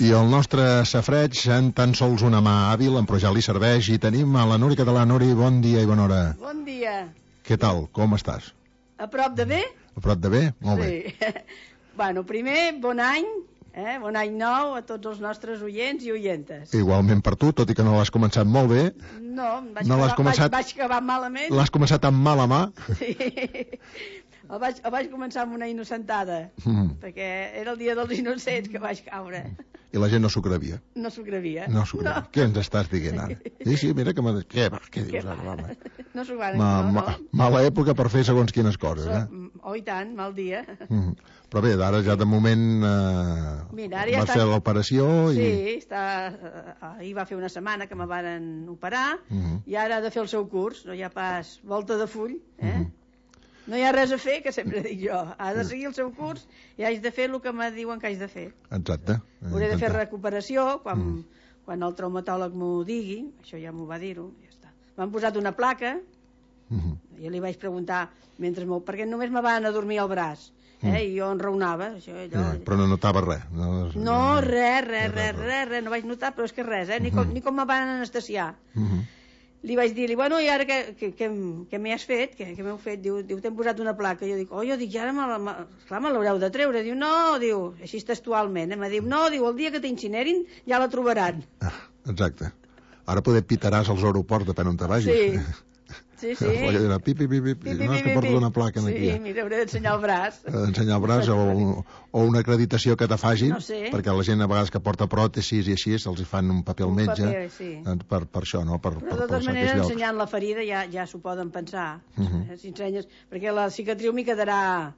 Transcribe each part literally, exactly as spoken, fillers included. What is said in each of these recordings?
I el nostre safreig en tan sols una mà hàbil, però ja li serveix, i tenim a la Nuri Català. Nuri, bon dia i bona hora. Bon dia. Què tal? Com estàs? A prop de bé? A prop de bé? Molt sí. bé. Bueno, primer, bon any, eh? Bon any nou a tots els nostres oients i oientes. Igualment per tu, tot i que no l'has començat molt bé. No, vaig, no acabar, començat... vaig, vaig acabar malament. L'has començat amb mala mà. Sí. El vaig, el vaig començar amb una innocentada, mm. perquè era el dia dels innocents que vaig caure. I la gent no s'ho gravia. No s'ho gravia. No s'ho gravia. No. Què ens estàs dient ara? Sí, sí, mira que... Me... Què, va, què dius ara, home? No s'ho van... Ma, no, ma, no. Mala època per fer segons quines coses, so, eh? Oh, i tant, mal dia. Mm. Però bé, ara ja de moment eh, Mira, ara ja vas està... fer l'operació i... Sí, està... ahir va fer una setmana que me van operar mm -hmm. i ara ha de fer el seu curs, no hi ha pas volta de full, eh? Mm -hmm. No hi ha res a fer, que sempre dic jo. Ha de seguir el seu curs i haig de fer el que me diuen que haig de fer. Exacte. Hauré de fer recuperació quan, mm. quan el traumatòleg m'ho digui, això ja m'ho va dir-ho, ja està. M'han posat una placa, mm -hmm. jo li vaig preguntar, mentre m'ho... perquè només me van adormir el braç, eh? Mm. I jo enraonava. Això, allò... eh, però no notava res. No, no res, res, res, res, res, no vaig notar, però és que res, eh? Ni com, mm -hmm. ni com me van anestesiar. Mm -hmm. Li vaig dir-li, bueno, i ara què, què, què, què m'hi has fet? Què, què m'heu fet? Diu, diu t'hem posat una placa. Jo dic, oh, jo dic, ja ara me, clar, me l'haureu de treure. Diu, no, diu, així textualment. Eh? Me diu, no, diu, el dia que t'incinerin ja la trobaran. Ah, exacte. Ara poder pitaràs als aeroports, depèn on te vagis. Sí, sí, sí. Dirà, pi, pi, pi, pi, pi, no, és que porto una placa aquí. Sí, mira, hauré d'ensenyar el braç. Ensenyar el braç o, o una acreditació que te fagin, no sé. perquè la gent a vegades que porta pròtesis i així, se'ls fan un paper al un metge, paper, sí. per, per això, no? Per, Però per, de totes maneres, ensenyant la ferida ja, ja s'ho poden pensar. Uh -huh. eh, si ensenyes, perquè la cicatriu m'hi quedarà...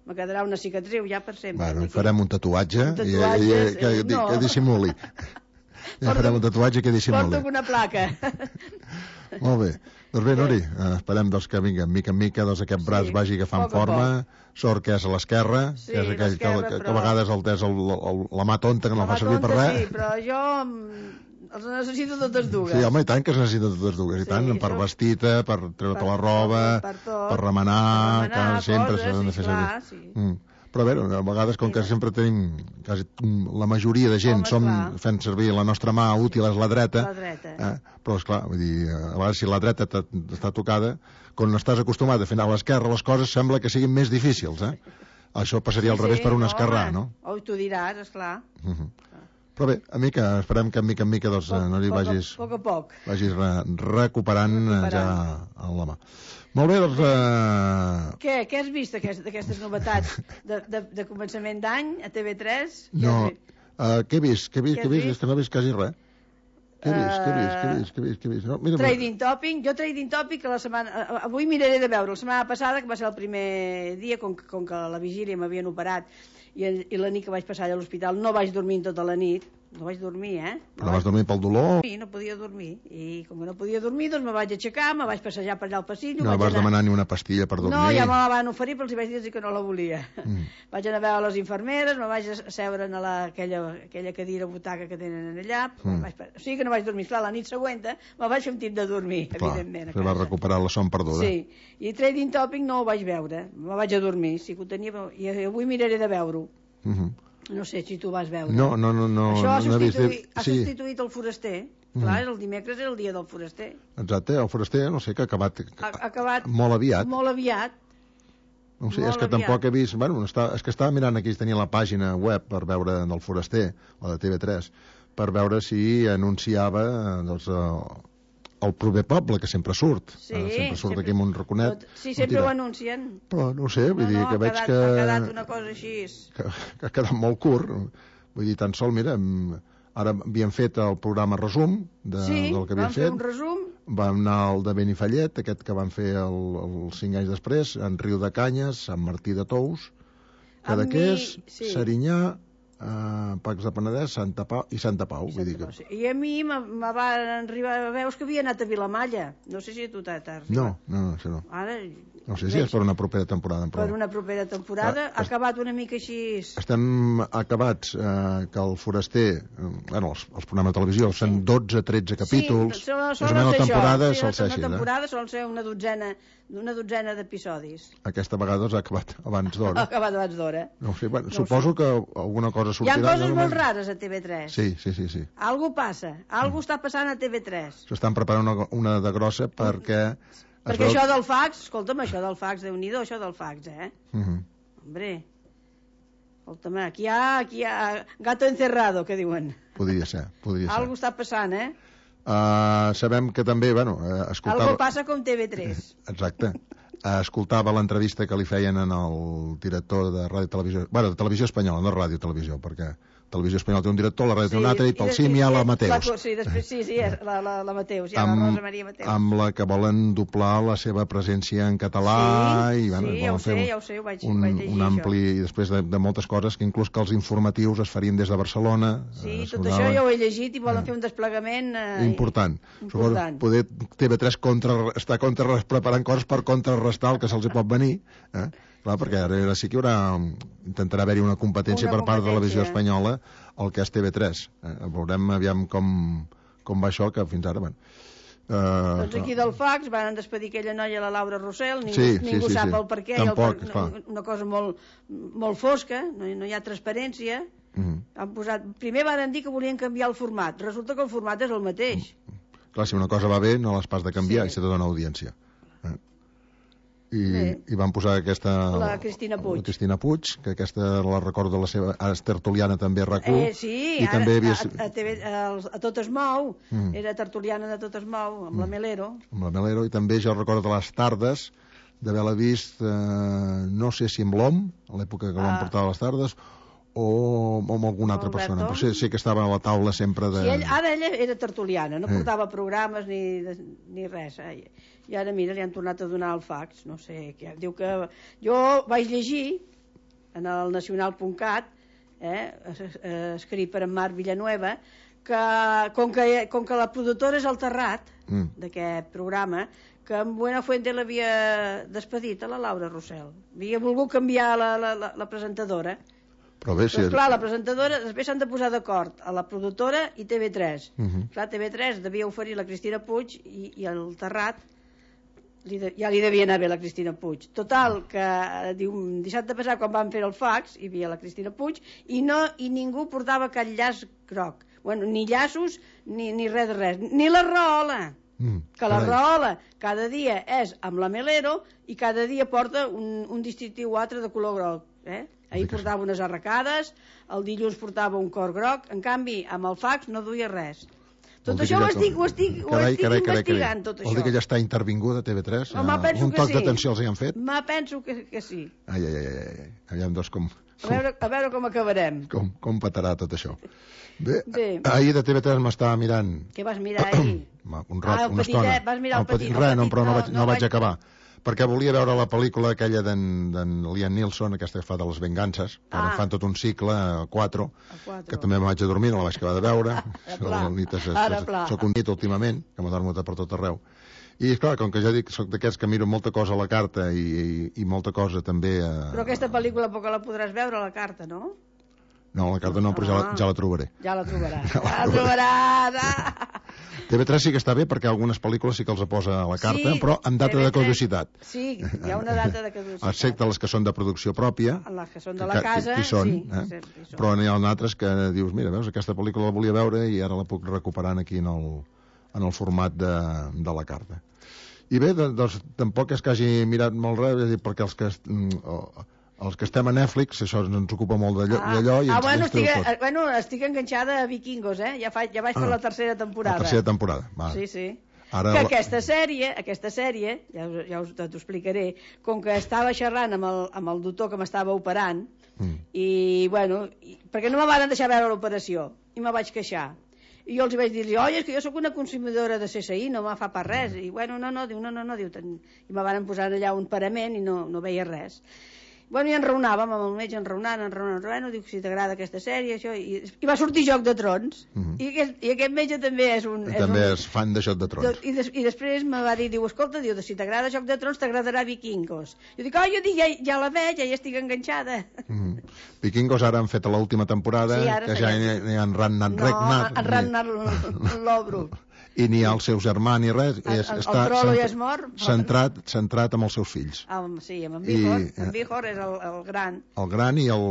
me quedarà una cicatriu ja per sempre. Bueno, hi farem un tatuatge, un tatuatge i, i, que, eh, no. que dissimuli. Ja farem un tatuatge que dissimuli. Porto una placa. Molt bé. Doncs bé, Nuri, eh, esperem doncs, que vinga, mica en mica, doncs, aquest braç sí, vagi agafant forma. Sort que és a l'esquerra, sí, que és aquell que, que, però... que a vegades el, és el, el, la mà tonta, que no la fa servir per res. Sí, però jo els necessito totes dues. Sí, home, i tant que es necessiten totes dues. I sí, tant, per vestir-te, per treure-te la roba, per, per, per remenar, per remenar que sempre s'ha de fer servir. Sí. Mm. Però a veure, a vegades, com que sempre tenim, quasi la majoria de gent, home, som clar. fent servir la nostra mà útil és la dreta, la dreta. Eh? Però, esclar, vull dir, a vegades si la dreta està tocada, quan estàs acostumat a fer a l'esquerra, les coses sembla que siguin més difícils, eh? Això passaria sí, al revés sí, per un no, esquerrà, no? Oh, tu diràs, esclar. Uh -huh. Però bé, a mica, esperem que a mica en mica doncs, poc, no li poc, vagis, poc a poc. vagis re, recuperant, recuperant ja a la mà. Molt bé, doncs... Uh... Què, què has vist d'aquestes novetats de, de, de començament d'any a T V tres? No, uh, què he vist? Què he vist? Què he vist? És que no he vist quasi res. Què he vist? Què he vist? Què he vist? Què he vist? Què he vist? No, mira, trading topic. Jo trading topic que la setmana... Avui miraré de veure. La setmana passada, que va ser el primer dia, com, com que a la vigília m'havien operat i, i la nit que vaig passar allà a l'hospital no vaig dormir tota la nit. No vaig dormir, eh? No Però vaig... vas dormir pel dolor? Sí, no podia dormir. I com que no podia dormir, doncs me vaig aixecar, me vaig passejar per allà al passillo. No vas anar... demanar ni una pastilla per dormir? No, ja me la van oferir, però els vaig dir que no la volia. Mm. Vaig anar a veure les infermeres, me vaig asseure en la, aquella, aquella cadira butaca que tenen allà. Mm. Vaig... O sigui que no vaig dormir. Clar, la nit següent me vaig fer un tip de dormir, clar, evidentment. Que vas recuperar la son perduda. Sí, i trading topic no ho vaig veure. Me vaig a dormir, sí que ho tenia, i avui miraré de veure-ho. Mm -hmm. No sé si tu vas veure. No, no, no. no Això ha no substituït, vist... ha sí. substituït el foraster. Clar, mm. el dimecres era el dia del foraster. Exacte, el foraster, no sé, que ha acabat, ha, ha acabat molt aviat. Molt aviat. No sé, és que aviat. Tampoc he vist... Bueno, està, és que estava mirant aquí, tenia la pàgina web per veure del foraster, la de T V tres, per veure si anunciava doncs, el proper poble, que sempre surt. Sí, eh, sempre surt sempre, aquí amb un raconet. Sí, sempre ho anuncien. Però no sé, vull no, dir no, que veig quedat, que... ha quedat una cosa així. Que, que ha quedat molt curt. Vull dir, tan sol, mira, ara havíem fet el programa resum de, sí, del que havíem fet. Sí, vam fer un resum. Vam anar al de Benifallet, aquest que van fer el, el cinc anys després, en Riu de Canyes, Sant Martí de Tous, Cadaqués, sí. Serinyà, Uh, Pacs de Penedès, Santa Pau i Santa Pau, I, vull Santa dir que... Pau, sí. I a mi me van arribar veus que havia anat a Vilamalla, no sé si tu t'has arribat. No, no, no, això no. Ara, No sé si és per una propera temporada. Per una propera temporada. Ha acabat una mica així... Estem acabats, eh, que el Foraster, eh, bueno, els, els programes de televisió, sí. són dotze tretze capítols. Sí, solen ser la temporada sí, sol ser així. Una temporada eh? sol ser una dotzena, una dotzena d'episodis. Aquesta vegada ha acabat abans d'hora. Ha acabat abans d'hora. No sé, bueno, no suposo sé. que alguna cosa sortirà. Hi ha coses molt rares a T V tres. Sí, sí, sí. sí. Algú passa, algú mm. està passant a T V tres. S'estan preparant una, una de grossa perquè... Perquè veu... això del fax, escolta'm, això del fax, Déu-n'hi-do, això del fax, eh? Uh -huh. Hombre, escolta'm, aquí hi ha, aquí hi ha gato encerrado, que diuen. Podria ser, podria ser. Algú està passant, eh? Uh, sabem que també, bueno, uh, escoltava... Algú passa com T V tres. Exacte. Uh, escoltava l'entrevista que li feien en el director de Ràdio Televisió... Bueno, de Televisió Espanyola, no Ràdio Televisió, perquè Televisió Espanyola té un director, la ràdio té sí, un altre, i pel cim hi ha la Mateus. La, sí, després, sí, sí, la, la, la Mateus, hi ha amb, la Rosa Maria Mateus. Amb la que volen doblar la seva presència en català, sí, i bueno, sí, ja ho sé, ja ho sé, ho vaig, un, vaig llegir un ampli, això. I després de, de moltes coses, que inclús que els informatius es farien des de Barcelona. Sí, eh, tot això ja ho he llegit i volen eh, fer un desplegament... Eh, important. important. Suposo, poder T V tres contra, està contra, preparant coses per contrarrestar el que se'ls pot venir, eh? Clar, perquè ara sí que hi haurà, intentarà haver-hi una competència una per part de la televisió espanyola el que és T V tres. Eh? Veurem aviam com, com va això, que fins ara... Bueno, uh, doncs aquí del fax van despedir aquella noia, la Laura Rossell, ningú, sí, ningú sí, sí, sap sí. el per què, Tampoc, el per, una, una cosa molt, molt fosca, no, no hi ha transparència. Uh -huh. Han posat, primer van dir que volien canviar el format, resulta que el format és el mateix. Uh -huh. Clar, si una cosa va bé no l'has pas de canviar, sí. I se te dona audiència. I, i van posar aquesta... La Cristina Puig. La Cristina Puig, que aquesta la recordo la seva... Ara és tertuliana també a RAC u. Eh, sí, i ara, també havia... a, a, T V, a, a Tot es mou, mm. era tertuliana de Tot es mou, amb mm. la Melero. Amb la Melero, i també jo recordo de les tardes, d'haver-la vist, eh, no sé si amb l'Om, a l'època que ah. l'Om portava a les tardes, o, o amb alguna altra Alberto. persona, però sé, sé que estava a la taula sempre de... Sí, ell, ara ella era tertuliana, no eh. portava programes ni, ni res, eh? I ara, mira, li han tornat a donar el fax, no sé, que diu que... Jo vaig llegir en el nacional punt cat, eh, escrit per en Marc Villanueva, que com, que com que la productora és el Terrat mm. d'aquest programa, que en Buenafuente l'havia despedit a la Laura Rossell. Havia volgut canviar la, la, la, la presentadora. Però bé, si... Però, clar, la presentadora, després s'han de posar d'acord a la productora i T V tres. Uh -huh. Clar, T V tres devia oferir la Cristina Puig i, i el Terrat li de, ja li devia anar bé la Cristina Puig. Total, que diu, dissabte passat, quan van fer el fax, hi havia la Cristina Puig i, no, i ningú portava cap llaç groc. Bueno, ni llaços, ni, ni res de res. Ni la raola. Mm, que la raola cada dia és amb la Melero i cada dia porta un, un distintiu o altre de color groc. Eh? Ahir portava unes arracades, el dilluns portava un cor groc, en canvi, amb el fax no duia res. Tot això ho estic, ho estic, ho carai, estic carai, investigant, carai. tot això. Vol dir que ja està intervinguda T V tres? Home, penso un que toc sí. d'atenció els hi han fet? Ma, penso que, que sí. Ai, ai, ai, ai. Aviam, doncs, com... A veure, a veure com acabarem. Com, com petarà tot això. Bé, Bé. Ahir de T V tres m'estava mirant... Què vas mirar ahir? un rat, ah, una petitet, estona. Vas mirar el petit, el Res, no, petit, però no, vaig, no, no vaig vaig... acabar. Perquè volia veure la pel·lícula aquella d'en Liam Neeson, aquesta que fa de les vengances, que ara ah. fan tot un cicle, a quatre, que també me vaig a dormir, no la vaig acabar de veure. Soc un nit últimament, que m'adormo per tot arreu. I, esclar, com que ja dic, soc d'aquests que miro molta cosa a la carta i, i, i molta cosa també a... Però aquesta pel·lícula poc la podràs veure a la carta, no? No, la carta no, però ja la, ja la trobaré. Ja la trobaràs. Ja la trobaràs. Ah. T V tres sí que està bé perquè algunes pel·lícules sí que els posa a la carta, sí, però amb data de caducitat. Sí, hi ha una data de caducitat. Excepte les que són de producció pròpia. Les que són de la casa, que, que són, sí. Eh? Sí, sí. Però n'hi ha altres que dius, mira, veus, aquesta pel·lícula la volia veure i ara la puc recuperar aquí en el, en el format de, de la carta. I bé, doncs, tampoc és que hagi mirat molt res, perquè els que... Oh, els que estem a Netflix, això ens ocupa molt d'allò, ah, i ens, ah, bueno, ens estic, bueno, estic enganxada a Vikingos, eh? Ja, fa, ja vaig ah, per la tercera temporada. La tercera temporada, va. Sí, sí. Ara que la... aquesta sèrie, aquesta sèrie, ja, ja us t'ho explicaré, com que estava xerrant amb el, amb el doctor que m'estava operant, mm. i, bueno, i, perquè no me van deixar veure l'operació, i me vaig queixar. I jo els vaig dir, oi, és que jo sóc una consumidora de C S I, no me fa per res. I, bueno, no, no, diu, no, no, no, diu, ten... i me van posar allà un parament i no, no veia res. Bueno, i enraonàvem amb el metge, enraonant, enraonant, enraonant, dic, si t'agrada aquesta sèrie, això, i, i va sortir Joc de Trons, uh -huh. I, aquest, i aquest metge també és un... I és també un, és fan de Joc de Trons. I, des, I després me va dir, diu, escolta, diu, si t'agrada Joc de Trons, t'agradarà Vikingos. Jo dic, oh, jo dic, ja, ja la veig, ja hi estic enganxada. Uh -huh. Vikingos ara han fet a l'última temporada, sí, que ja n'hi ha en Ragnar Ragnar. No, en Ragnar l'Obro. I ni els seus germans ni res, el, és, el, està el trolo ja és mort, centrat, centrat amb els seus fills. El, sí, amb en Vihor, I, en Vihor és el, el gran. El gran i el,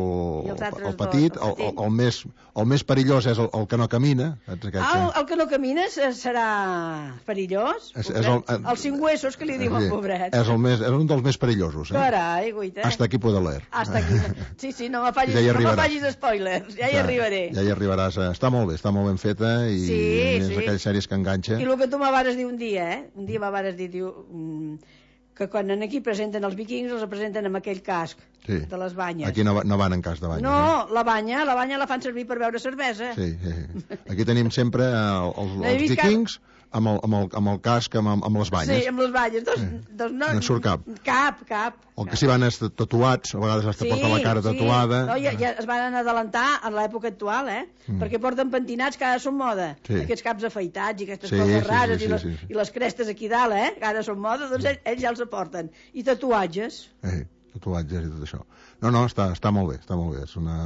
I el, el petit, dos, el, el, el, el, més, el més perillós és el, el que no camina. Ah, el, el que no camina serà perillós? És, és el, el, els cinc huesos que li diuen, sí, pobret. És, el més, és un dels més perillosos. Eh? Carai, guaita. Hasta aquí puedo leer. Hasta aquí. Sí, sí, no me facis, ja no me facis spoilers, ja, ja hi arribaré. Ja hi arribaràs. Està molt bé, està molt ben feta i sí, és sí. aquelles sèries que enganxa. I el que tu m'avares dir un dia, eh? Un dia m'avares dir, diu, que quan aquí presenten els vikings els presenten amb aquell casc sí. de les banyes. Aquí no, no van en cas de banya. No, eh? la banya, la banya la fan servir per beure cervesa. Sí, sí. Aquí tenim sempre el, el, els vikings amb el, amb, el, amb el casc, amb, amb les banyes. Sí, amb les banyes. Doncs, sí. doncs no, no en surt cap. Cap, cap. El que s'hi van és tatuats, a vegades hasta sí, porta la cara tatuada. Sí. No, ja, ja es van adelantar en l'època actual, eh? Mm. Perquè porten pentinats que ara són moda. Sí. Aquests caps afaitats i aquestes sí, coses rares sí, sí, i, les, sí, sí. i les crestes aquí dalt, eh? Que ara són moda, doncs ells, ells ja els aporten. I tatuatges. Eh, tatuatges i tot això. No, no, està, està molt bé, està molt bé. És una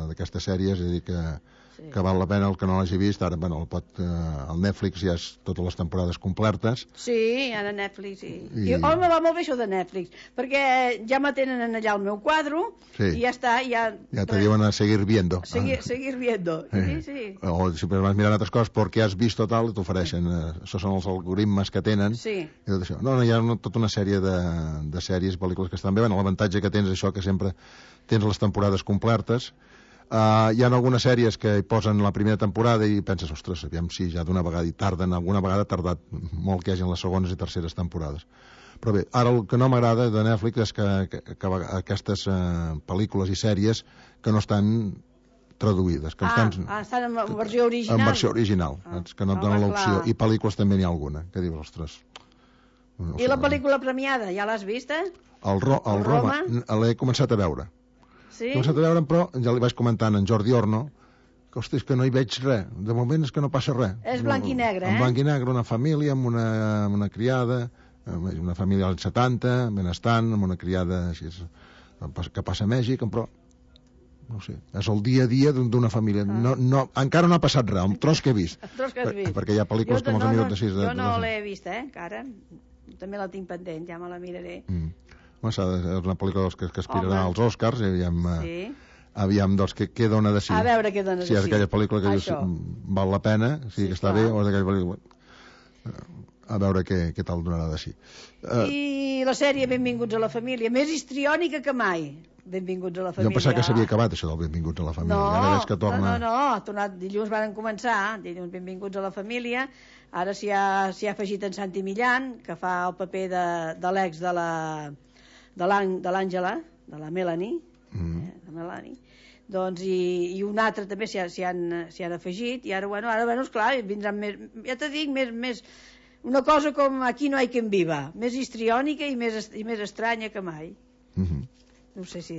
d'aquestes sèries, és a dir que... Sí. que val la pena el que no l'hagi vist ara, bueno, el, pot, eh, el Netflix ja és totes les temporades complertes sí, ara Netflix sí. I... I, home, va molt bé això de Netflix perquè ja me tenen allà el meu quadro sí. i ja està ja, ja te diuen a seguir viendo seguir, ah. seguir viendo sí, sí. o si vas mirant altres coses perquè has vist tal t'ofereixen, eh, això són els algoritmes que tenen sí. i tot això, no, no, hi ha una, tota una sèrie de, de sèries, pel·lícules que estan bé bueno, l'avantatge que tens això que sempre tens les temporades complertes. Uh, hi ha algunes sèries que hi posen la primera temporada i penses, ostres, aviam si ja d'una vegada i tarden, alguna vegada ha tardat molt que hi hagi les segones i terceres temporades. Però bé, ara el que no m'agrada de Netflix és que, que, que aquestes uh, pel·lícules i sèries que no estan traduïdes. Que ah, estan, ah, estan en versió original. En versió original, ah, que no et donen l'opció. I pel·lícules també n'hi ha alguna, que dius, ostres... No I sé, la pel·lícula premiada, ja l'has vista? El, Ro el, el Roma, Roma l'he començat a veure. Sí? He començat a veure, però ja li vaig comentant en Jordi Orno que, hosti, és que no hi veig res. De moment és que no passa res. És blanc i negre, eh? En blanc i negre, una família amb una, amb una criada, una família als setanta, benestant, amb una criada així, que passa a Mèxic, però no sé, és el dia a dia d'una família. Ah. No, no, encara no ha passat res, el tros que he vist. El tros que has vist. Perquè hi ha pel·lícules com els no, minuts de sis... Jo de, no de... l'he vist, eh, encara. També la tinc pendent, ja me la miraré. Mm. Bueno, és una pel·lícula que, que aspirarà Home. als Oscars i aviam, sí. aviam doncs, què, què dona de sí. A veure què dona de sí. Si és aquella pel·lícula que dius, val la pena, si sí, que està clar. bé, o és aquella pel·lícula... A veure què, què tal donarà de sí. Uh, I la sèrie Benvinguts a la família, més histriònica que mai. Benvinguts a la família. Jo pensava que s'havia acabat això del Benvinguts a la família. No, ara que torna... no, no, no, tornat, dilluns van començar, dilluns Benvinguts a la família, ara s'hi ha, ha afegit en Santi Millán, que fa el paper de, de l'ex de la... de l'Àngela, de la Melanie, mm. eh, de Melanie, doncs, i, i un altre també s'hi han, han afegit, i ara, bueno, ara, bueno, esclar, vindran més, ja te dic, més, més, una cosa com Aquí no hay quien viva, més histriònica i més, i més estranya que mai. Mm -hmm. No sé si...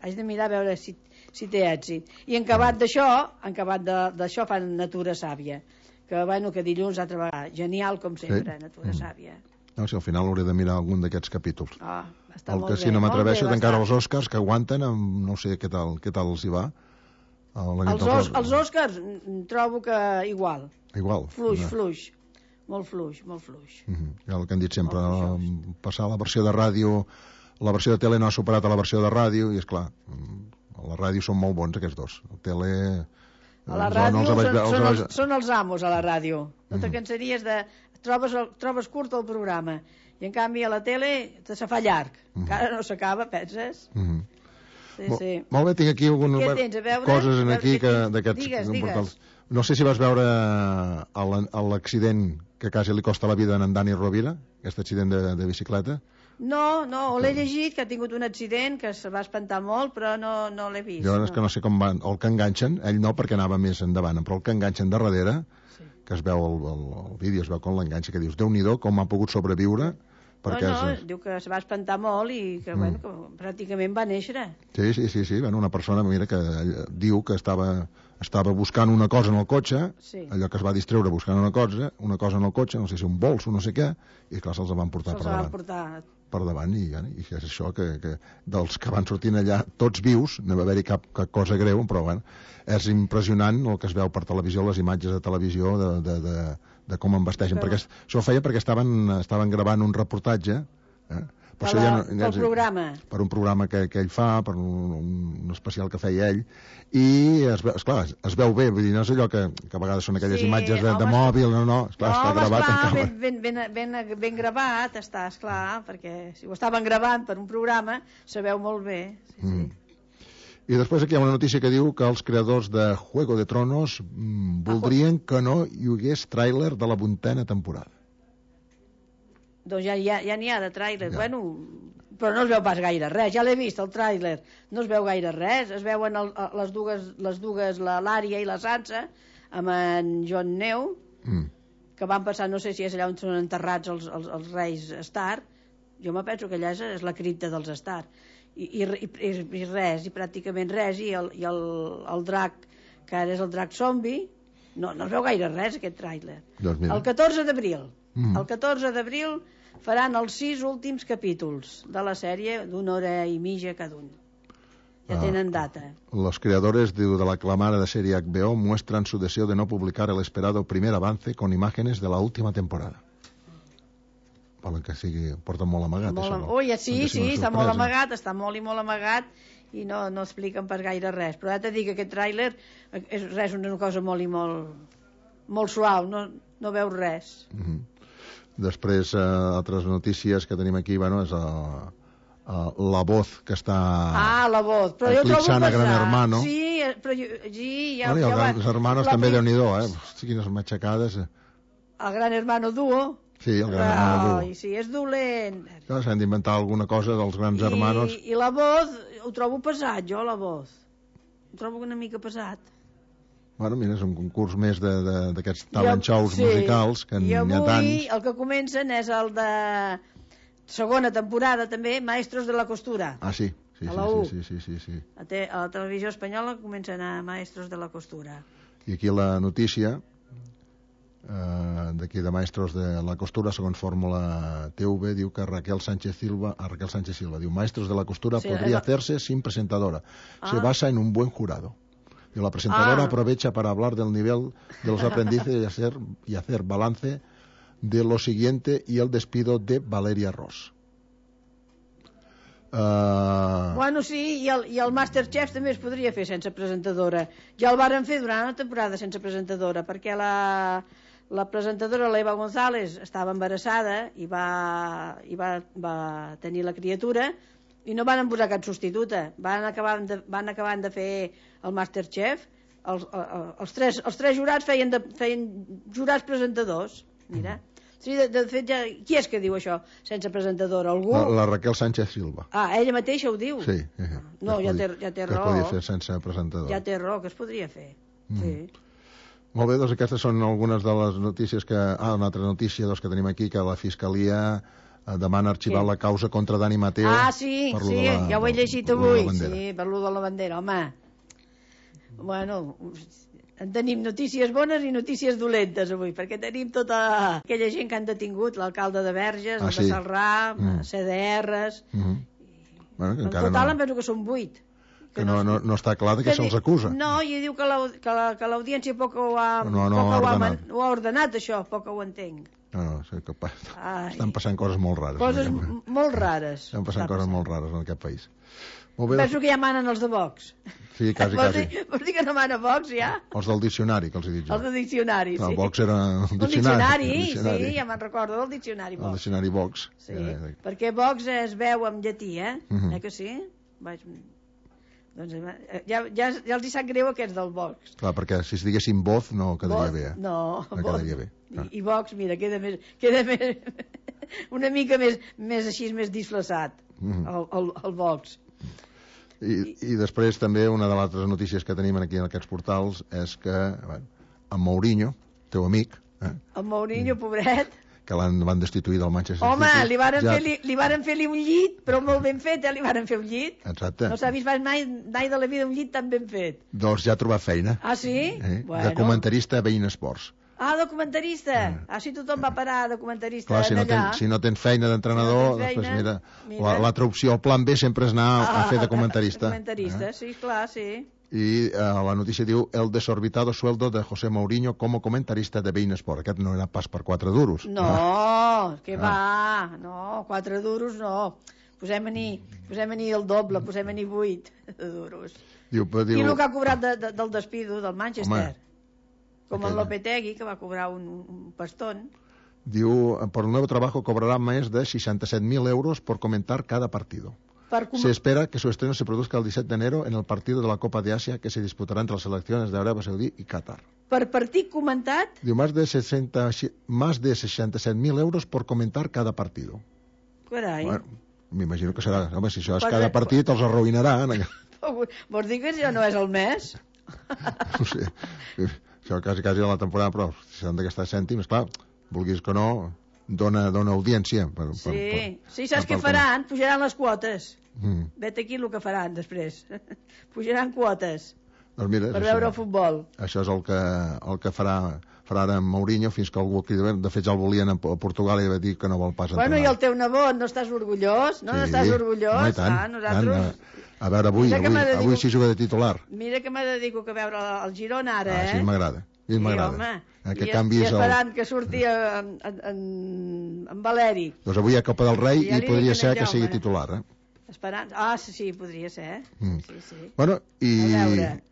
Haig de mirar a veure si, si té èxit. I en acabat d'això, en acabat d'això fan Natura Sàvia, que, bueno, que dilluns altra vegada, genial com sempre, sí. Natura mm. Sàvia. No, si al final hauré de mirar algun d'aquests capítols. Ah, està el molt que bé, si no m'atreveixo d'encara els bastant. Oscars que aguanten, amb, no sé què tal, què tal els hi va. Els, os, els Oscars trobo que igual. Igual. Fluix, no. fluix. Molt fluix, molt fluix. Uh -huh. Ja el que han dit sempre, passar la versió de ràdio, la versió de tele no ha superat a la versió de ràdio, i és clar, a la ràdio són molt bons aquests dos. A tele... A la ràdio no són, veure, són, els, els, són els amos a la ràdio. No te cansaries de... Trobes, el, trobes curt el programa i en canvi a la tele te se fa llarg. Uh -huh. Encara no s'acaba, penses? Uh -huh. Sí, Mol, sí. Molt bé, tinc aquí algunes coses en aquí d'aquests... Digues, No sé si vas veure l'accident que quasi li costa la vida a en Dani Rovira, aquest accident de, de bicicleta. No, no, l'he llegit, que ha tingut un accident, que se va espantar molt, però no, no l'he vist. Jo no. és que no sé com van, el que enganxen, ell no perquè anava més endavant, però el que enganxen de darrere, sí. que es veu el, el, el vídeo, es veu com l'enganxa, que dius, Déu-n'hi-do, com ha pogut sobreviure perquè no, no, és... diu que se va espantar molt i que, mm. bueno, que pràcticament va néixer. Sí, sí, sí, sí. Bueno, una persona, mira, que diu que estava, estava buscant una cosa en el cotxe, sí. allò que es va distreure buscant una cosa, una cosa en el cotxe, no sé si un bols o no sé què, i clar, se'ls van portar se'ls per davant. Van portar... per davant, i, i és això, que, que dels que van sortint allà, tots vius, no va haver-hi cap, cap cosa greu, però bueno, és impressionant el que es veu per televisió, les imatges de televisió de, de, de, de com embasteixen, però... perquè això ho feia perquè estaven, estaven gravant un reportatge, eh? Per, la, ja no, per el programa. Per un programa que, que ell fa, per un, un especial que feia ell, i es, esclar, es veu bé, vull dir, no és allò que, que a vegades són aquelles sí, imatges de, home, de mòbil, no, no, esclar, no, està gravat esclar, ben, ben, ben, ben, ben gravat està, esclar, perquè si ho estaven gravant per un programa, se veu molt bé. Sí, mm. sí. I després aquí hi ha una notícia que diu que els creadors de Juego de Tronos mm, voldrien que no hi hagués tràiler de la vuitena temporada. Doncs ja n'hi ja, ja ha de tràiler, ja. Bueno, però no es veu pas gaire res, ja l'he vist el tràiler, no es veu gaire res, es veuen el, les dues, les dues l'Ària i la Sansa, amb en Jon Snow, mm. que van passar, no sé si és allà on són enterrats els, els, els reis Stark, jo me penso que allà és, és la cripta dels Stark, i, i, i, i res, i pràcticament res, i el, i el, el drac, que ara és el drac zombi, no, no es veu gaire res aquest tràiler. Doncs el catorze d'abril, mm. el catorze d'abril faran els sis últims capítols de la sèrie d'una hora i mitja cada un. Ya tienen data. Los creadores de, de la aclamada de serie H B O muestran su deseo de no publicar el esperado primer avance con imágenes de la última temporada. Volen que sigui... Porten molt amagat, molt, això. No? Ui, sí, sí, està molt amagat, està molt i molt amagat, i no, no expliquen per gaire res. Però ja t'he dit que aquest tràiler és res, una cosa molt i molt, molt suau, no, no veus res. Mm-hmm. Després, eh, altres notícies que tenim aquí, bueno, és eh, eh, La Voz, que està ah, La Voz. Però eclipsant a Gran Hermano. Sí, però jo, sí, ja, bueno, i ja els Grans Hermanos també, prim... Déu-n'hi-do, eh? Hosti, quines matxacades. El Gran Hermano Duo. Sí, el Gran Hermano Duo. Ai, sí, és dolent. S'han d'inventar alguna cosa dels Grans I, Hermanos. I La Voz, ho trobo pesat, jo, La Voz. Ho trobo una mica pesat. Bueno, mira, és un concurs més d'aquests talent shows sí. musicals, que n'hi ha tants. I avui el que comencen és el de segona temporada també, Maestros de la Costura. Ah, sí, sí, a la sí, U. sí, sí, sí, sí. A, te, a la televisió espanyola comencen a Maestros de la Costura. I aquí la notícia eh, d'aquí de Maestros de la Costura, segons Fórmula T V, diu que Raquel Sánchez Silva, a Raquel Sánchez Silva, diu, Maestros de la Costura sí, podría la... hacerse sin presentadora. Ah. Se basa en un buen jurado. Y la presentadora ah. aprovecha para hablar del nivel de los aprendices y hacer, y hacer balance de lo siguiente y el despido de Valeria Ross. Uh... Bueno, sí, i el, i el Masterchef també es podria fer sense presentadora. Ja el varen fer durant una temporada sense presentadora, perquè la, la presentadora, l'Eva González, estava embarassada i, va, i va, va tenir la criatura, i no van posar cap substituta. Van acabar de, van acabar de fer el Masterchef. Els, els, tres, els tres jurats feien, de, feien jurats presentadors. Mira. Sí, de, de fet, ja, qui és que diu això sense presentadora? Algú? La, la Raquel Sánchez Silva. Ah, ella mateixa ho diu? Sí. Eh, no, ja té, ja té raó. Que es podia fer sense presentador. Ja té raó, que es podria fer. Mm. Sí. Molt bé, doncs aquestes són algunes de les notícies que... Ah, una altra notícia doncs, que tenim aquí, que la Fiscalia demana arxivar sí. la causa contra Dani Mateo. Ah, sí, sí, la, ja ho he llegit avui. Sí, per lo de la bandera, home. Bueno, en tenim notícies bones i notícies dolentes avui, perquè tenim tota aquella gent que han detingut, l'alcalde de Verges, ah, el sí. de Salrà, mm. C D Rs... Mm-hmm. I... Bueno, que en total no... em penso que són vuit. Que, que no, no, no està clar de què se'ls acusa. No, i diu que l'audiència poc ho ha, no, no poc ho, ha man, ho ha ordenat, això, poc ho entenc. No, no, sé que pa... estan passant coses molt rares. Coses molt rares. Estan passant coses molt rares en aquest país. Molt bé, penso que ja manen els de Vox. Sí, quasi, quasi. Vols dir que no mana Vox, ja? Els del diccionari, que els he dit jo. Els del diccionari, sí. El Vox era un diccionari. El diccionari, diccionari. Sí, ja me'n recordo del diccionari Vox. El diccionari Vox. Sí, ja, ja. Perquè Vox es veu en llatí, eh? Uh -huh. Eh que sí? Vaig... Doncs ja, ja, ja els hi sap greu aquests del Vox. Clar, perquè si es diguessin Voz no quedaria Voz, bé, eh? No, no quedaria bé. I, I Vox, mira, queda més, queda més una mica més, més així, més disfressat, mm-hmm. el, el, el Vox. I, I després també una de les altres notícies que tenim aquí en aquests portals és que bueno, en Mourinho, teu amic... Eh? El Mourinho, pobret... que l'han van destituir del Manchester Home, City. Home, li varen ja... fer-li li varen fer-li un llit, però molt ben fet, eh? Li varen fer un llit. Exacte. No s'ha vist mai, mai de la vida un llit tan ben fet. Doncs ja ha trobat feina. Ah, sí? Eh? Bueno. De comentarista a Bein Sports. Ah, documentarista. Mm. Ah, si tothom va parar de documentarista. Clar, si no, ten, si no tens feina d'entrenador, si no després, mira, mira. l'altra opció, el plan B sempre és anar ah, a fer de comentarista. Comentarista, eh? Sí, clar, sí. I eh, la notícia diu el desorbitado sueldo de José Mourinho como comentarista de Bein Sport. Aquest no era pas per quatre duros. No, ah. que va, ah. no, quatre duros no. Posem-n'hi posem el doble, posem-n'hi vuit de duros. Diu, diu... I el que ha cobrat de, de, del despido del Manchester. Home, com el Lopetegui, que va cobrar un, un pastón. Diu, por el nuevo trabajo cobrará más de sesenta y siete mil euros por comentar cada partido. Com... Se espera que su estreno se produzca el disset de enero en el partido de la Copa de Asia que se disputará entre las selecciones de Arabia Saudí y Qatar. Per partit comentat? Diu, más de, sesenta, más de sesenta y siete mil euros por comentar cada partido. Carai. Bueno, m'imagino que serà... Home, si això és cada partit, els arruïnaran. Vols dir que això no és el mes? No sé. Això quasi, quasi a la temporada, però si s'han de gastar cèntims, clar, vulguis que no, dona, dona audiència. Per, sí, per, per, sí, saps què faran? Pujaran les quotes. Mm. Vet aquí el que faran després. Pujaran quotes doncs mira, per veure el futbol. Això és el que, el que farà, farà ara en Mourinho fins que algú aquí, de fet ja el volien a Portugal i va dir que no vol pas entrenar. Bueno, i el teu nebot, no estàs orgullós? No, sí, no estàs orgullós? No, i tant, ah, nosaltres... tant. A veure, avui, avui, dedico... avui sí juga de titular. Mira que me dedico a veure el Girona ara, ah, eh? sí, m'agrada. Sí, m'agrada. Eh, que I, canvis i esperant el... que surti en, en, en, en Valeri. Doncs avui hi ha Copa del Rei i, i podria ser que sigui titular, eh? Esperant. Ah, sí, sí, podria ser. Mm. Sí, sí. Bueno, i,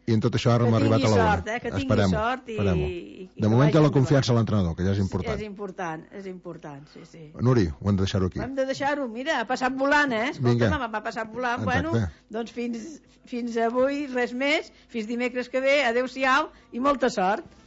i en tot això ara hem arribat a l'hora. Sort, eh? Que tingui esperem, sort i... i, i de moment té la confiança a l'entrenador, que ja és important. Sí, és important, és important, sí, sí. Nuri, ho hem de deixar-ho aquí. Hem de deixar-ho, mira, ha passat volant, eh? Escolta, m'ha passat volant. Exacte. Bueno, doncs fins, fins avui res més, fins dimecres que ve, adeu-siau i molta sort.